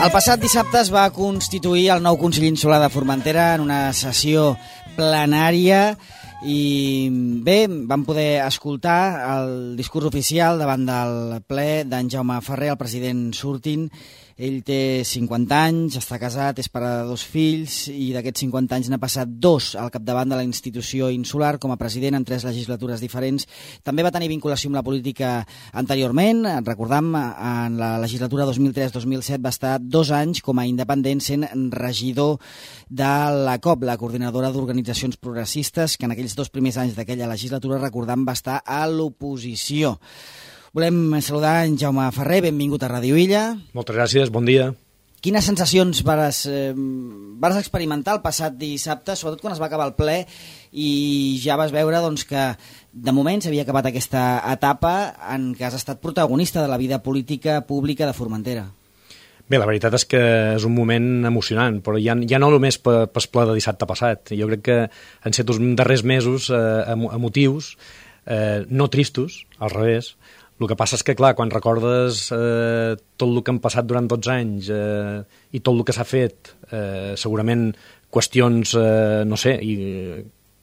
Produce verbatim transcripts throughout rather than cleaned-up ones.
El passat dissabte es va constituir el nou Consell Insular de Formentera en una sessió plenària i bé, vam poder escoltar el discurs oficial davant del ple d'en Jaume Ferrer, el president sortint. Ell té cinquanta anys, està casat, és pare de dos fills i d'aquests cinquanta anys n'ha passat dos al capdavant de la institució insular com a president en tres legislatures diferents. També va tenir vinculació amb la política anteriorment. Recordam, en la legislatura dos mil tres dos mil set va estar dos anys com a independent sent regidor de la C O P, la Coordinadora d'Organitzacions Progressistes, que en aquells dos primers anys d'aquella legislatura, recordam, va estar a l'oposició. Volem saludar en Jaume Ferrer, benvingut a Ràdio Illa. Moltes gràcies, bon dia. Quines sensacions vares, eh, vares experimentar el passat dissabte, sobretot quan es va acabar el ple i ja vas veure doncs, que de moment s'havia acabat aquesta etapa en què has estat protagonista de la vida política pública de Formentera? Bé, la veritat és que és un moment emocionant, però ja, ja no només pel ple de dissabte passat. Jo crec que han estat uns darrers mesos eh, emotius, eh, no tristos, al revés. El que passa és que, clar, quan recordes eh, tot el que han passat durant dotze anys eh, i tot el que s'ha fet, eh, segurament qüestions, eh, no sé, i,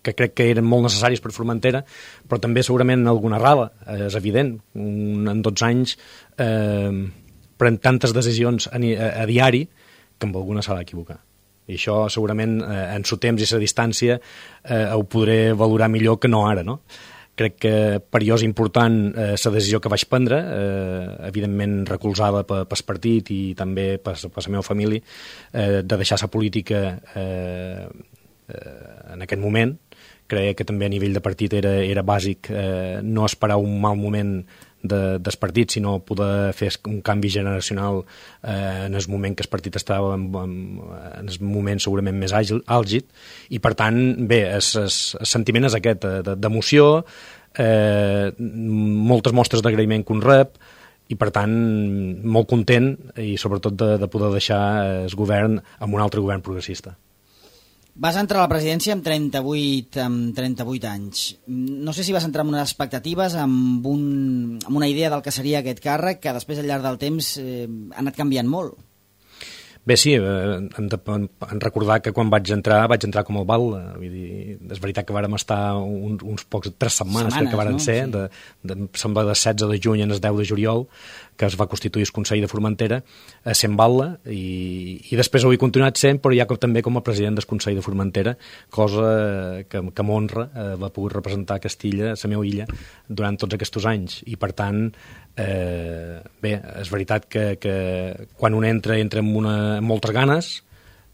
que crec que eren molt necessaris per Formentera, però també segurament alguna errada, eh, és evident. Un, en dotze anys eh, pren tantes decisions a, a, a diari que amb alguna s'ha d'equivocar. I això segurament eh, en su temps i sa distància eh, ho podré valorar millor que no ara, no? Crec que per jo és important la eh, decisió que vaig prendre, eh, evidentment recolzada pel partit i també per la meva família, eh, de deixar la política eh, eh, en aquest moment. Crec que també a nivell de partit era, era bàsic eh, no esperar un mal moment de, del partit, sinó poder fer un canvi generacional eh, en el moment que el partit estava en, en, en el moment segurament més àgil, àlgid, i per tant, bé, el, el, el sentiment és aquest, d'emoció, eh, moltes mostres d'agraïment que un rep, i per tant, molt content, i sobretot de, de poder deixar el govern amb un altre govern progressista. Vas entrar a la presidència amb trenta-vuit, amb trenta-vuit anys. No sé si vas entrar amb unes expectatives, amb, un, amb una idea del que seria aquest càrrec, que després al llarg del temps eh, ha anat canviant molt. Bé, sí, hem de hem recordar que quan vaig entrar, vaig entrar com el bal. Vull dir, és veritat que vàrem estar uns, uns pocs, tres setmanes, setmanes que varen no? ser, sí. de, de, sembla de setze de juny en el deu de juliol, que es va constituir el Consell de Formentera, a sent Batlle, i, i després ho he continuat sent, però ja com, també com a president del Consell de Formentera, cosa que, que m'honra eh, va poder representar Castilla, la meva illa, durant tots aquests anys. I per tant, eh, bé, és veritat que, que quan un entra, entra amb, una, amb moltes ganes,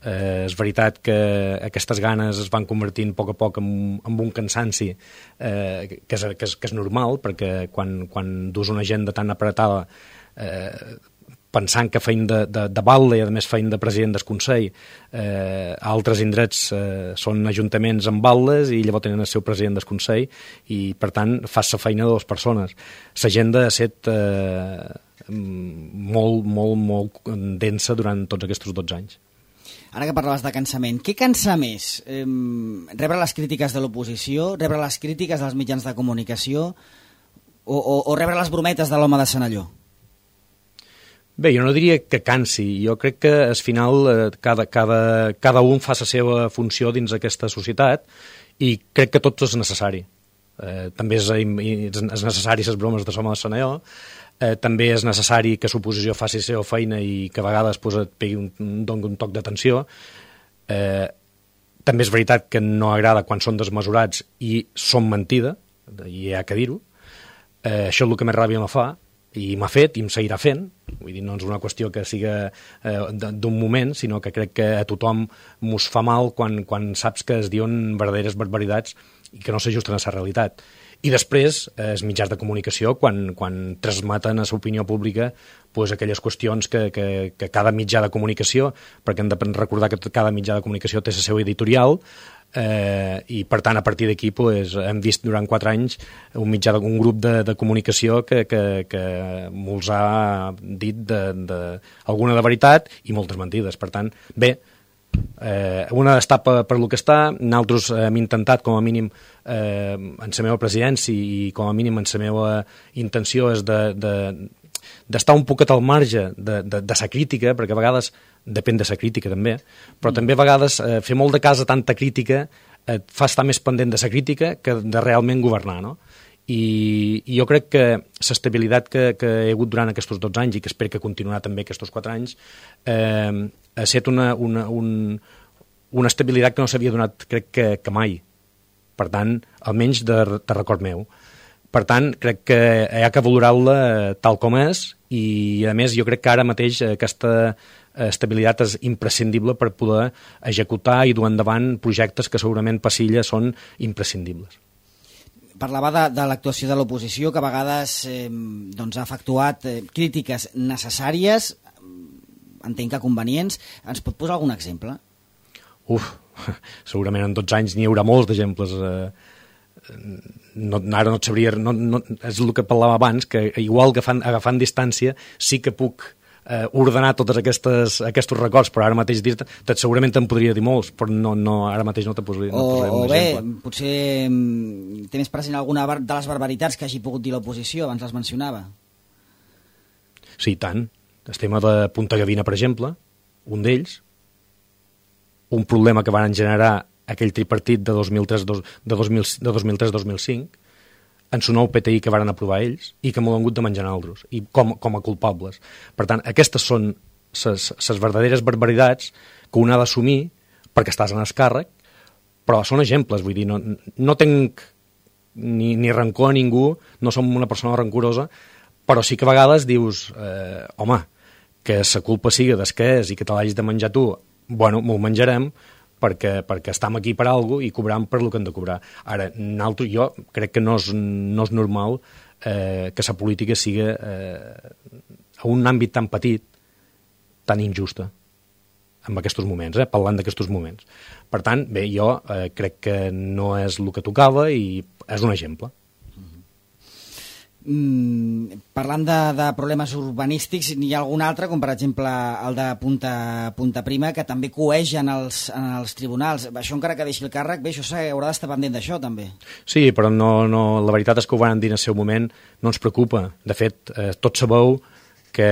Eh, és veritat que aquestes ganes es van convertint a poc a poc en, en un cansanci eh, que, és, que, és, que és normal, perquè quan, quan dus una agenda tan apretada eh, pensant que feim de, de, de batlle i a més feim de president del Consell, eh, a altres indrets eh, són ajuntaments amb batlles i llavors tenen el seu president del Consell i per tant fas la feina de dues persones. L'agenda ha estat eh, molt, molt, molt densa durant tots aquests dotze anys. Ara que parlaves de cansament, què cansa més? Eh, rebre les crítiques de l'oposició, rebre les crítiques dels mitjans de comunicació o, o, o rebre les brometes de l'home de Senalló? Bé, jo no diria que cansi. Jo crec que al final eh, cada, cada, cada un fa la seva funció dins aquesta societat i crec que tot és necessari. Eh, també és, és necessari les bromes de l'home de Senalló. Eh, també és necessari que l'oposició faci la seva feina i que a vegades pues, et pegui un, un, un toc d'atenció. Eh, també és veritat que no agrada quan són desmesurats i són mentida, i hi ha que dir-ho. Eh, això és el que més ràbia me fa, i m'ha fet i em seguirà fent. Vull dir, no és una qüestió que siga eh, d'un moment, sinó que crec que a tothom mos fa mal quan, quan saps que es diuen verdaderes barbaritats i que no s'ajusten a la realitat. I després, eh, els mitjans de comunicació, quan, quan transmeten a l'opinió pública pues, aquelles qüestions que, que, que cada mitjà de comunicació, perquè hem de recordar que cada mitjà de comunicació té la seva editorial, eh, i per tant a partir d'aquí pues, hem vist durant quatre anys un, mitjà de, un grup de, de comunicació que, que, que molts ha dit de, de, alguna de veritat i moltes mentides. Per tant, bé, Eh, una està per, per lo que està, nosaltres hem intentat com a mínim eh, en la meva presidència i com a mínim en la meva intenció és de, de, d'estar un poquet al marge de, de, de sa crítica, perquè a vegades depèn de sa crítica també, però mm. també a vegades eh, fer molt de cas a tanta crítica et fa estar més pendent de sa crítica que de realment governar, no? I, i jo crec que l'estabilitat que, que he hagut durant aquests dotze anys i que espero que continuarà també aquests quatre anys eh, ha estat una, una, un, una estabilitat que no s'havia donat, crec que, que mai. Per tant, almenys de, de record meu. Per tant, crec que hi ha que valorar-la tal com és i, a més, jo crec que ara mateix aquesta estabilitat és imprescindible per poder executar i dur endavant projectes que segurament per Silla són imprescindibles. Parlava de, de l'actuació de l'oposició, que a vegades eh, doncs ha efectuat eh, crítiques necessàries, entenc que convenients. Ens pot posar algun exemple? Uf, segurament en dotze anys n'hi haurà molts d'exemples. Eh, no, ara no et sabria... No, no, és el que parlava abans, que igual agafant, agafant distància sí que puc eh, ordenar tots aquestes, aquests records, però ara mateix dir-te, segurament te'n podria dir molts, però no, no, ara mateix no te posaria, no o, un o bé, exemple. Potser té més present alguna de les barbaritats que hagi pogut dir l'oposició, abans les mencionava. Sí, tant. El tema de Punta Gavina, per exemple, un d'ells, un problema que van generar aquell tripartit de dos mil tres a dos mil cinc, en su nou P T I que van aprovar ells i que m'ho han hagut de menjar altres, i com, com a culpables. Per tant, aquestes són les verdaderes barbaritats que un ha d'assumir perquè estàs en el càrrec, però són exemples, vull dir, no, no tenc ni, ni rancor a ningú, no som una persona rancorosa, però sí que a vegades dius, eh, home, que la culpa sigui des que és i que te l'hagis de menjar tu, bueno, m'ho menjarem, perquè, perquè estem aquí per alguna cosa i cobram per el que hem de cobrar. Ara, nosaltres, jo crec que no és, no és normal eh, que la política sigui eh, a un àmbit tan petit, tan injusta, en aquests moments, eh, parlant d'aquests moments. Per tant, bé, jo eh, crec que no és el que tocava i és un exemple. Mm, parlant de, de problemes urbanístics, n'hi ha algun altre, com per exemple el de Punta, Punta Prima, que també coeix en els, en els tribunals. Això encara que deixi el càrrec, bé, això haurà d'estar pendent d'això també. Sí, però no, no, la veritat és que ho van dir en el seu moment, no ens preocupa. De fet, eh, tots sabeu que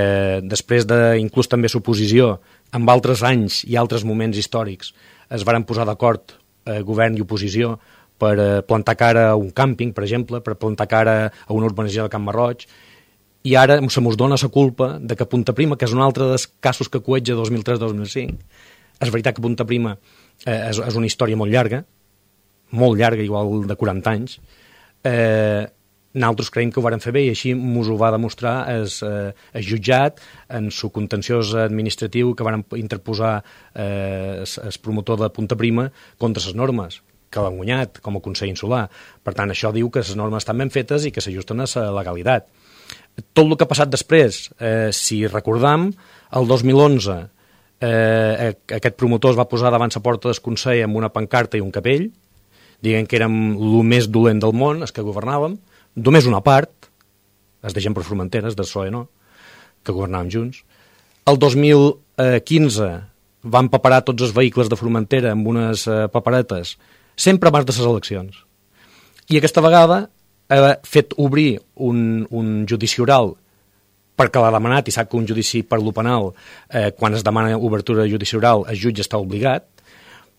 després de, inclús també suposició, en altres anys i altres moments històrics es varen posar d'acord eh, govern i oposició per plantar cara a un càmping, per exemple, per plantar cara a una urbanització de Can Marroig, i ara se mos dona la culpa de que Punta Prima, que és un altre dels casos que coetja dos mil tres a dos mil cinc, és veritat que Punta Prima eh, és, és una història molt llarga, molt llarga, igual de quaranta anys, eh, nosaltres creiem que ho varen fer bé i així mos ho va demostrar el eh, jutjat en su contenciós administratiu que varen interposar eh, el promotor de Punta Prima contra les normes, que l'han guanyat com a Consell Insular. Per tant, això diu que les normes estan ben fetes i que s'ajusten a la legalitat. Tot el que ha passat després, eh, si recordam, el dos mil onze eh, aquest promotor es va posar davant la porta del Consell amb una pancarta i un capell, dient que érem el més dolent del món, els que governàvem, només una part, els de gent per Formentera, els del P S O E no, que governàvem junts. El dos mil quinze van paperar tots els vehicles de Formentera amb unes eh, paperetes sempre abans de les eleccions. I aquesta vegada ha fet obrir un, un judici oral perquè l'ha demanat i sap que un judici per lo penal, eh, quan es demana obertura de judici oral, el jutge està obligat,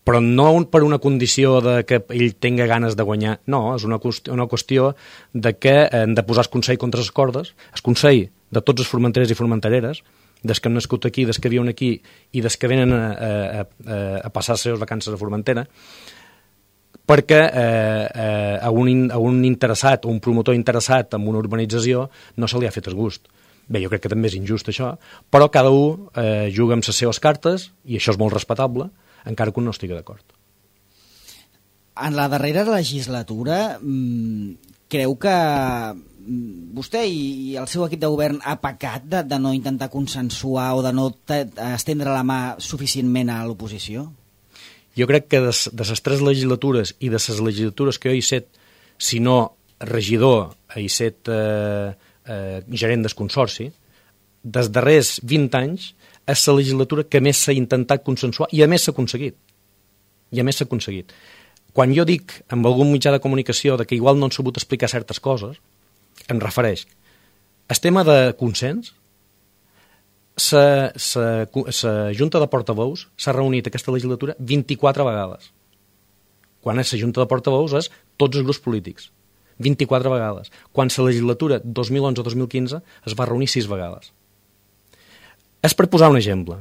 però no per una condició de que ell tinga ganes de guanyar, no, és una qüestió, una qüestió de que hem de posar el Consell contra les cordes, el Consell de tots els formenteres i formentereres, des que han nascut aquí, des que viuen aquí i des que venen a, a, a, a passar les seves vacances a Formentera, perquè eh, eh, a, un, a un interessat o un promotor interessat en una urbanització no se li ha fet el gust. Bé, jo crec que també és injust això, però cada un eh, juga amb les seves cartes i això és molt respectable, encara que un no estigui d'acord. En la darrera legislatura, creu que vostè i el seu equip de govern ha pecat de, de no intentar consensuar o de no estendre la mà suficientment a l'oposició? Jo crec que de, de les tres legislatures i de les legislatures que jo he set, si no regidor, he set eh, eh, gerent del consorci, dels darrers vint anys és la legislatura que més s'ha intentat consensuar i a més s'ha aconseguit. I a més s'ha aconseguit. Quan jo dic amb algun mitjà de comunicació de que igual no han sabut explicar certes coses, em refereix. El tema de consens la Junta de Portaveus s'ha reunit aquesta legislatura vint-i-quatre vegades. Quan és la Junta de Portaveus és tots els grups polítics. vint-i-quatre vegades. Quan la legislatura dos mil onze dos mil quinze es va reunir sis vegades. És per posar un exemple.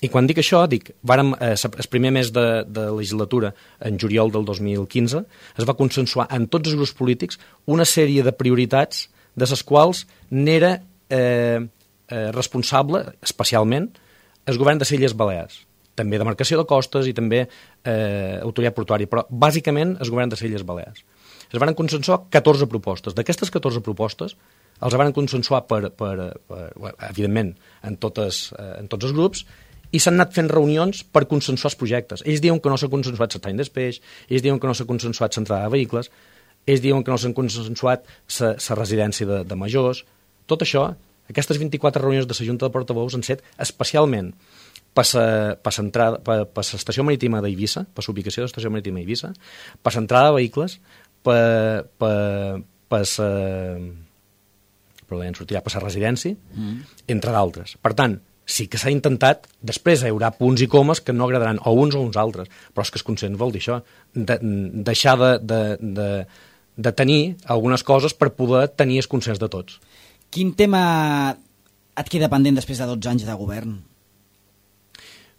I quan dic això, dic, vàrem, eh, el primer mes de, de legislatura, en juliol del dos mil quinze, es va consensuar en tots els grups polítics una sèrie de prioritats de les quals n'era eh, eh, responsable, especialment, el govern de les Illes Balears. També demarcació de costes i també eh, autoritat portuària, però bàsicament el govern de les Illes Balears. Es van consensuar catorze propostes. D'aquestes catorze propostes els van consensuar, per, per, per, evidentment, en, totes, en tots els grups, i s'han anat fent reunions per consensuar els projectes. Ells diuen que no s'ha consensuat l'estany d'espeix, ells diuen que no s'ha consensuat l'entrada de vehicles, ells diuen que no s'han consensuat la residència de, de majors. Tot això, aquestes vint-i-quatre reunions de la Junta de Portaveus han set especialment per l'estació marítima d'Eivissa, per l'ubicació de l'estació marítima d'Eivissa, per l'entrada de vehicles, per, per, per, sa, per, per la residència, mm. entre d'altres. Per tant, sí que s'ha intentat, després hi haurà punts i comes que no agradaran o uns o uns altres, però és que el consens vol dir això, de, deixar de, de, de, de tenir algunes coses per poder tenir el consens de tots. Quin tema et queda pendent després de dotze anys de govern?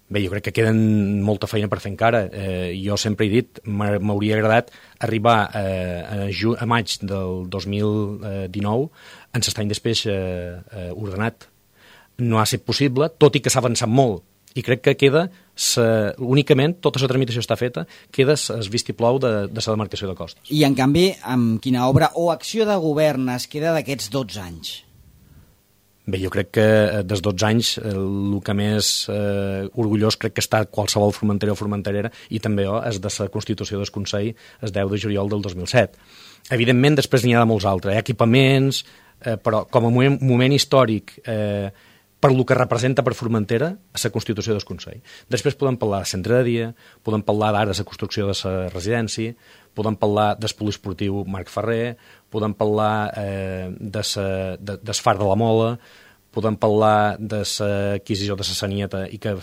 Bé, jo crec que queden molta feina per fer encara. Eh, jo sempre he dit, m'hauria agradat arribar eh, a, ju a maig del dos mil dinou en l'estany d'espeix eh, eh, ordenat. No ha estat possible, tot i que s'ha avançat molt. I crec que queda, sa, únicament, tota la tramitació està feta, queda el vistiplau de, de la demarcació de costes. I, en canvi, amb quina obra o acció de govern es queda d'aquests dotze anys? Bé, jo crec que des dotze anys el que més eh, orgullós crec que està qualsevol formentera o formenterera i també oh, és de la Constitució del Consell el deu de juliol del dos mil set. Evidentment, després n'hi ha de molts altres, hi ha equipaments, eh, però com a moment, moment històric eh, per lo que representa per Formentera a la Constitució del Consell. Després podem parlar de centre de dia, podem parlar d'ara de la construcció de la residència, podem parlar del poliesportiu Marc Ferrer, podem parlar eh, de sa, de, del Far de la Mola, podem parlar de l'adquisició de la Sanieta i que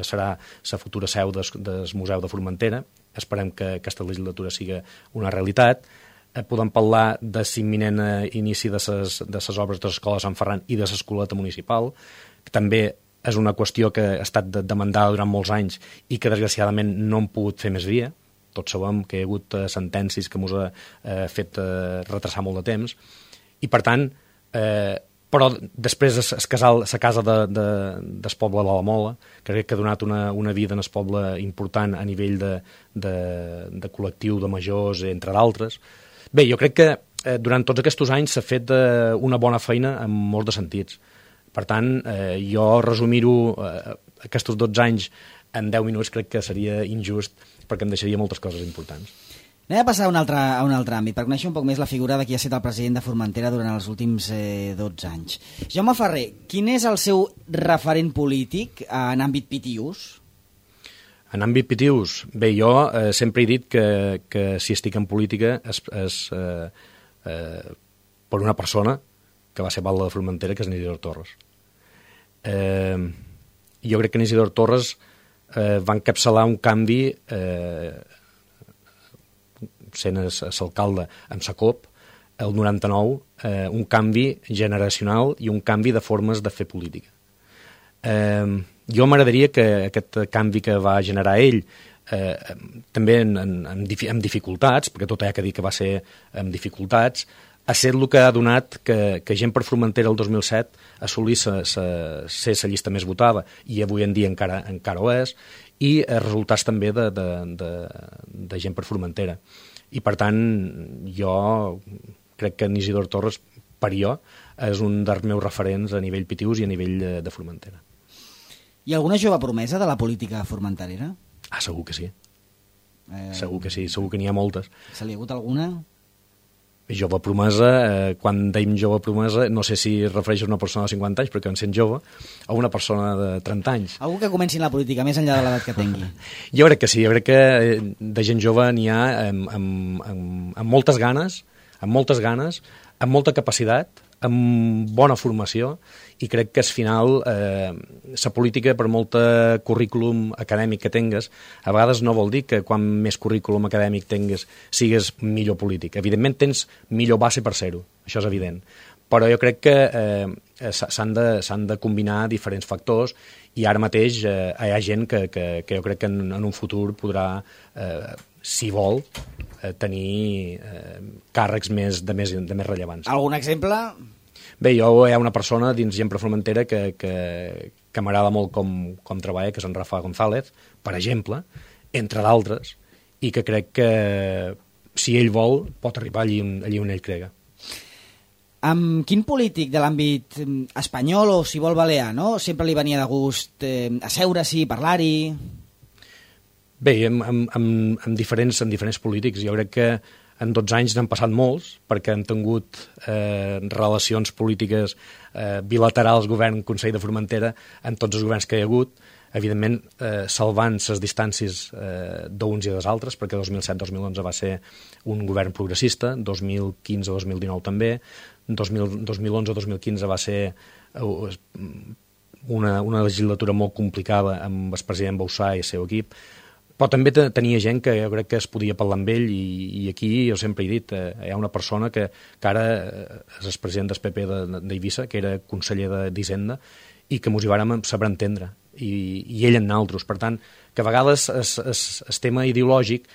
serà la futura seu des, del Museu de Formentera. Esperem que aquesta legislatura sigui una realitat. Eh, podem parlar de l'imminent inici de les de ses obres de l'Escola Sant Ferran i de l'Escoleta Municipal, que també és una qüestió que ha estat demandada durant molts anys i que desgraciadament no hem pogut fer més via. Tots sabem que hi ha hagut eh, sentències que ens ha eh, fet eh, retrasar molt de temps. I, per tant, eh, però després el casal, la casa de, de, del poble de la Mola, que crec que ha donat una, una vida en el poble important a nivell de, de, de col·lectiu de majors, entre d'altres. Bé, jo crec que eh, durant tots aquests anys s'ha fet eh, una bona feina en molts de sentits. Per tant, eh, jo resumir-ho eh, aquests dotze anys en deu minuts crec que seria injust perquè em deixaria moltes coses importants. Anem a passar a un altre, a un altre àmbit, per conèixer un poc més la figura de qui ha estat el president de Formentera durant els últims eh, dotze anys. Jaume Ferrer, quin és el seu referent polític en àmbit Pitius? En àmbit Pitius? Bé, jo eh, sempre he dit que, que si estic en política és, és eh, eh, per una persona que va ser batlle de Formentera, que és Isidor Torres. Eh, jo crec que Isidor Torres eh, va encapçalar un canvi eh, sent l'alcalde amb sa cop el noranta-nou, eh, un canvi generacional i un canvi de formes de fer política. Eh, jo m'agradaria que aquest canvi que va generar ell eh, també en, en, en dificultats, perquè tot hi ha que dir que va ser amb dificultats, ha estat el que ha donat que, que gent per Formentera el dos mil set assolís sa, sa, ser la llista més votada i avui en dia encara, encara ho és, i eh, resultats també de, de, de, de gent per Formentera. I per tant, jo crec que Isidor Torres, per jo, és un dels meus referents a nivell Pitius i a nivell de, de Formentera. Hi ha alguna jove promesa de la política formenterera? Ah, segur que sí. Eh... Segur que sí, segur que n'hi ha moltes. Se li ha hagut alguna? Jove promesa, eh, quan deim jove promesa, no sé si es refereix a una persona de cinquanta anys, perquè en sent jove, o una persona de trenta anys. Algú que comenci en la política, més enllà de l'edat que tingui. Jo crec que sí, jo crec que de gent jove n'hi ha amb, amb, amb, amb moltes ganes, amb moltes ganes, amb molta capacitat, amb bona formació, i crec que al final eh, la política, per molta currículum acadèmic que tingues, a vegades no vol dir que quan més currículum acadèmic tingues sigues millor polític. Evidentment tens millor base per ser-ho, això és evident, però jo crec que eh, s'han de, s'han de combinar diferents factors, i ara mateix eh, hi ha gent que, que, que jo crec que en, en un futur podrà, eh, si vol, eh, tenir eh, càrrecs més, de, més, de més rellevants. Algun exemple? Bé, jo hi ha una persona dins Gent per Formentera que, que, que m'agrada molt com, com treballa, que és en Rafa González, per exemple, entre d'altres, i que crec que si ell vol pot arribar allí on, allí on ell crega. Amb quin polític de l'àmbit espanyol o, si vol, balear, no? Sempre li venia de gust eh, asseure-s'hi, parlar-hi... Bé, amb, amb, amb, amb, diferents, amb diferents polítics. Jo crec que en dotze anys n'han passat molts, perquè han tingut eh, relacions polítiques eh, bilaterals govern-Consell de Formentera en tots els governs que hi ha hagut, evidentment eh, salvant les distàncies eh, d'uns i dels altres, perquè dos mil set dos mil onze va ser un govern progressista, dos mil quinze dos mil dinou també, dos mil onze dos mil quinze va ser eh, una, una legislatura molt complicada amb el president Bauzá i el seu equip, però també tenia gent que jo crec que es podia parlar amb ell, i, i aquí jo sempre he dit, eh, hi ha una persona que, que ara és el president del P P d'Eivissa, que era conseller d'Hisenda, i que mos hi vàrem saber entendre, i, i ell en altres. Per tant, que a vegades el tema ideològic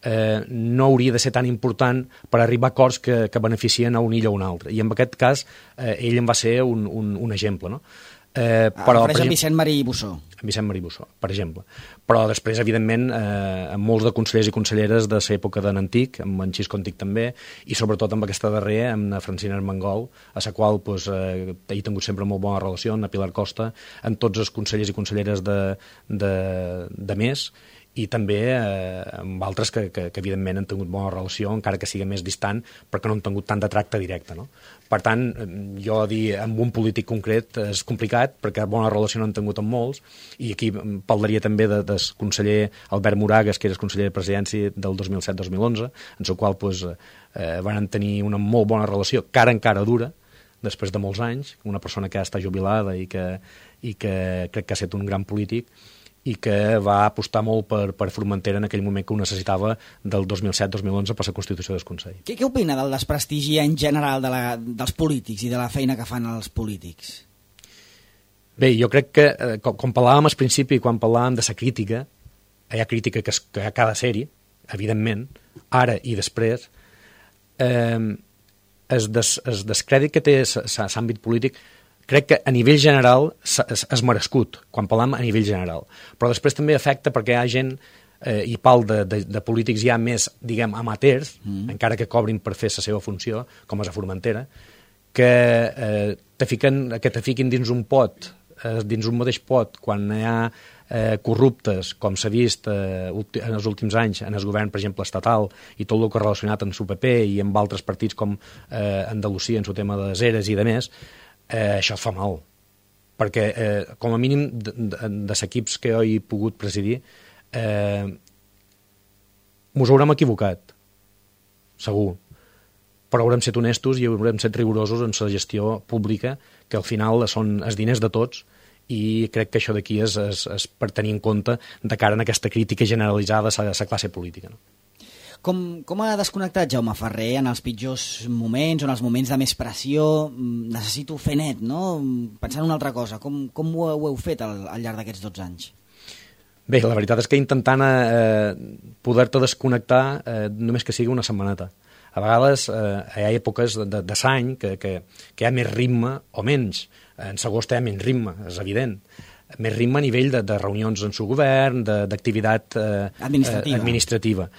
eh, no hauria de ser tan important per arribar a acords que, que beneficien a un illa o un altre, i en aquest cas eh, ell en va ser un, un, un exemple, no? Eh, però, per exemple, Vicent Marí Bussó. Vicent Marí Bussó, per exemple. Però després, evidentment, eh, amb molts de consellers i conselleres de l'època de l'Antic, amb en Xisco Antic també, i sobretot amb aquesta darrera, amb la Francina Armengol, a la qual pues, eh, he tingut sempre molt bona relació, amb la Pilar Costa, amb tots els consellers i conselleres de, de, de més, i també eh, amb altres que, que, que evidentment han tingut bona relació, encara que sigui més distant, perquè no han tingut tant de tracte directe, no? Per tant, jo dir amb un polític concret és complicat, perquè bona relació no han tingut amb molts, i aquí parlaria també de, del conseller Albert Moragas, que era el conseller de Presidència del dos mil set dos mil onze, en el qual pues, eh, van tenir una molt bona relació, cara en cara dura, després de molts anys, una persona que ja està jubilada i que, i que crec que ha estat un gran polític, i que va apostar molt per, per Formentera en aquell moment que ho necessitava, del dos mil set dos mil onze per la Constitució del Consell. Què, què opina del desprestigi en general de la, dels polítics i de la feina que fan els polítics? Bé, jo crec que, eh, com, com parlàvem al principi, quan parlàvem de la crítica, hi ha crítica que, es, que hi ha cada sèrie, evidentment, ara i després, eh, el, des, el descrèdit que té l'àmbit polític crec que a nivell general és merescut, quan parlam a nivell general. Però després també afecta perquè hi ha gent, eh, i pal de, de, de polítics ja més, diguem, amateurs, mm. encara que cobrin per fer la seva funció, com és a Formentera, que, eh, te fiquen, que te fiquin dins un pot, eh, dins un mateix pot, quan hi ha eh, corruptes, com s'ha vist eh, en els últims anys en el govern, per exemple, estatal, i tot el que ha relacionat amb el P P i amb altres partits com eh, Andalusia, en el tema de les eres i de més, Eh, això fa mal, perquè eh, com a mínim de, de, de l'equips que jo he pogut presidir eh, mos haurem equivocat, segur, però haurem set honestos i haurem set rigorosos en la gestió pública, que al final són els diners de tots, i crec que això d'aquí és, és, és per tenir en compte de cara en aquesta crítica generalitzada a la classe política, no? Com, com ha desconnectat Jaume Ferrer en els pitjors moments, o en els moments de més pressió? Necessito fer net, no? Pensant en una altra cosa. Com, com ho, ho heu fet al, al llarg d'aquests dotze anys? Bé, la veritat és que intentant eh, poder-te desconnectar eh, només que sigui una setmaneta. A vegades eh, hi ha èpoques de, de, de l'any que, que, que hi ha més ritme o menys. En l'agost hi ha menys ritme, és evident. Més ritme a nivell de, de reunions en el govern, d'activitat eh, administrativa. administrativa.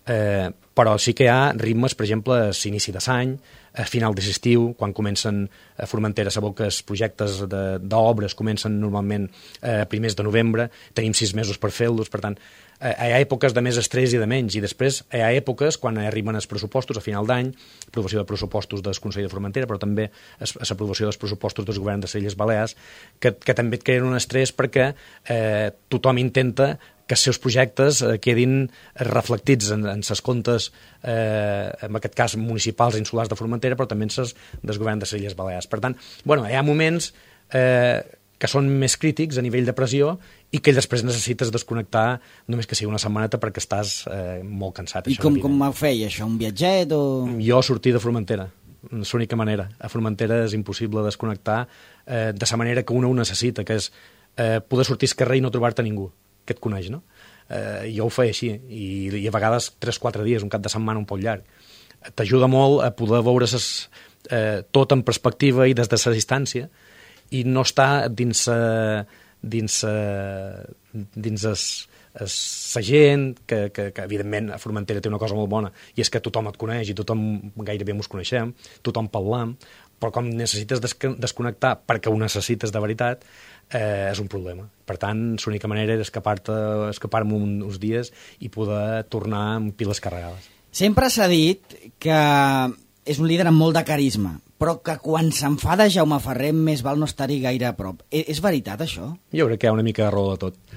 Eh, però sí que hi ha ritmes, per exemple, a l'inici de l'any, a final de l'estiu, quan comencen a Formentera, sabeu que els projectes d'obres comencen normalment a eh, primers de novembre, tenim sis mesos per fer-los, per tant, hi ha èpoques de més estrès i de menys, i després hi ha èpoques quan arriben els pressupostos a final d'any, aprovació de pressupostos del Consell de Formentera, però també l'aprovació dels pressupostos del govern de les Illes Balears, que, que també et creen un estrès perquè eh, tothom intenta que els seus projectes eh, quedin reflectits en, en ses comptes, eh, en aquest cas municipals i insulars de Formentera, però també en ses del govern de les Illes Balears. Per tant, bueno, hi ha moments eh, que són més crítics a nivell de pressió i que després necessites desconnectar només que sigui una setmaneta perquè estàs eh, molt cansat. I com, com ho feia, això? Un viatget o...? Jo sortir de Formentera, és l'única manera. A Formentera és impossible desconnectar eh, de la manera que un ho necessita, que és eh, poder sortir al carrer i no trobar-te ningú que et coneix, no? Eh, jo ho feia així, i, i a vegades tres o quatre dies, un cap de setmana un poc llarg. T'ajuda molt a poder veure ses, eh, tot en perspectiva i des de la distància, i no està dins uh, dins uh, dins es, es, la gent que, que, que evidentment a Formentera té una cosa molt bona i és que tothom et coneix i tothom gairebé mos coneixem, tothom parlam, però com necessites desconnectar perquè ho necessites de veritat, eh, és un problema. Per tant, l'única manera és escapar-te, escapar-me uns dies i poder tornar amb piles carregades. Sempre s'ha dit que és un líder amb molt de carisma, però que quan s'enfada Jaume Ferrer més val no estar-hi gaire a prop. És, és veritat, això? Jo crec que hi ha una mica de raó de tot.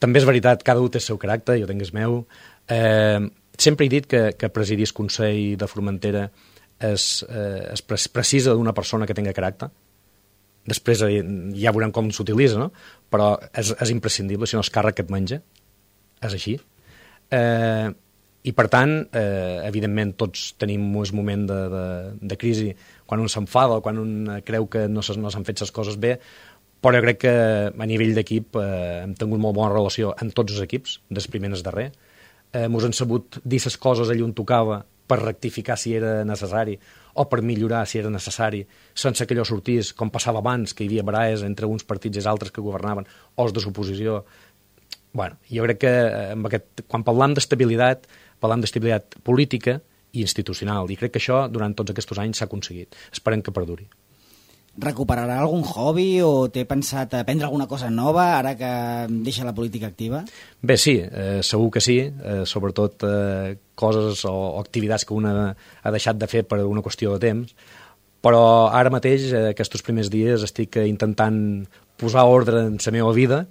També és veritat, cada un té el seu caràcter, jo tinc el meu. Eh, sempre he dit que, que presidir el Consell de Formentera es, eh, es precisa d'una persona que tingui caràcter. Després eh, ja veurem com s'utilitza, no? Però és, és imprescindible, si no és càrrec que et menja. És així. Eh, I, per tant, eh, evidentment, tots tenim un moment de, de, de crisi quan un s'enfada o quan un creu que no s'han no fet les coses bé, però jo crec que a nivell d'equip eh, hem tingut molt bona relació amb tots els equips, des primer al darrer. Eh, mos han sabut dir les coses allà on tocava per rectificar si era necessari o per millorar si era necessari, sense que allò sortís, com passava abans, que hi havia baraes entre uns partits i altres que governaven, o els de l'oposició. Bueno, jo crec que amb aquest, quan parlam d'estabilitat, parlam d'estabilitat política i institucional, i crec que això durant tots aquests anys s'ha aconseguit. Esperem que perduri. Recuperarà algun hobby o té pensat aprendre alguna cosa nova ara que deixa la política activa? Bé, sí, eh, segur que sí, eh, sobretot eh, coses o, o activitats que una ha deixat de fer per una qüestió de temps, però ara mateix, eh, aquests primers dies, estic intentant posar ordre en la meva vida,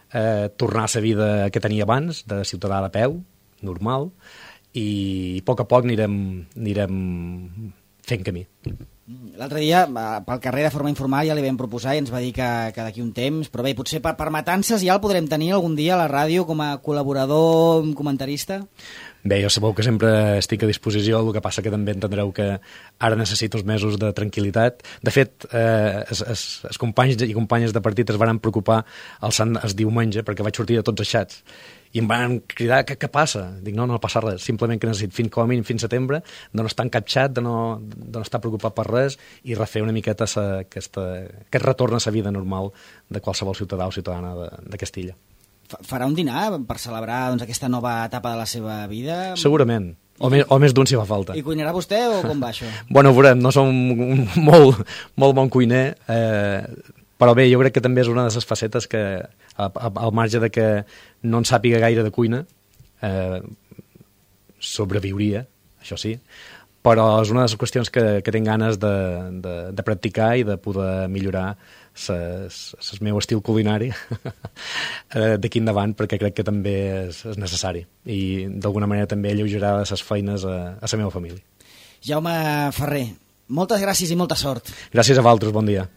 eh, tornar a la vida que tenia abans, de ciutadà de peu, normal, i a poc a poc anirem, anirem fent camí. L'altre dia, pel carrer de forma informal, ja li vam proposar i ens va dir que, que d'aquí un temps, però bé, potser per, per matances ja el podrem tenir algun dia a la ràdio com a col·laborador, comentarista? Bé, jo sabeu que sempre estic a disposició, el que passa que també entendreu que ara necessito uns mesos de tranquil·litat. De fet, eh, els, els, els companys i companyes de partit es van preocupar el, sant, el diumenge perquè vaig sortir de tots els xats i em van cridar, què, què passa? Dic, no, no passa res, simplement que necessit fins com a mínim fins setembre, de no estar en cap xat, de no, de no estar preocupat per res i refer una miqueta sa, aquesta, aquest retorn a la vida normal de qualsevol ciutadà o ciutadana de, de Castilla. Farà un dinar per celebrar doncs, aquesta nova etapa de la seva vida? Segurament. O més, o més d'un si fa falta. I cuinarà vostè o com va això? Bueno, veurem, no som un molt, molt bon cuiner, eh, però bé, jo crec que també és una de les facetes que, al marge de que no en sàpiga gaire de cuina, eh, sobreviuria, això sí, però és una de les qüestions que, que tinc ganes de, de, de practicar i de poder millorar el meu estil culinari d'aquí endavant, perquè crec que també és, és necessari i d'alguna manera també alleugerar les feines a, a la meva família. Jaume Ferrer, moltes gràcies i molta sort. Gràcies a vosaltres, bon dia.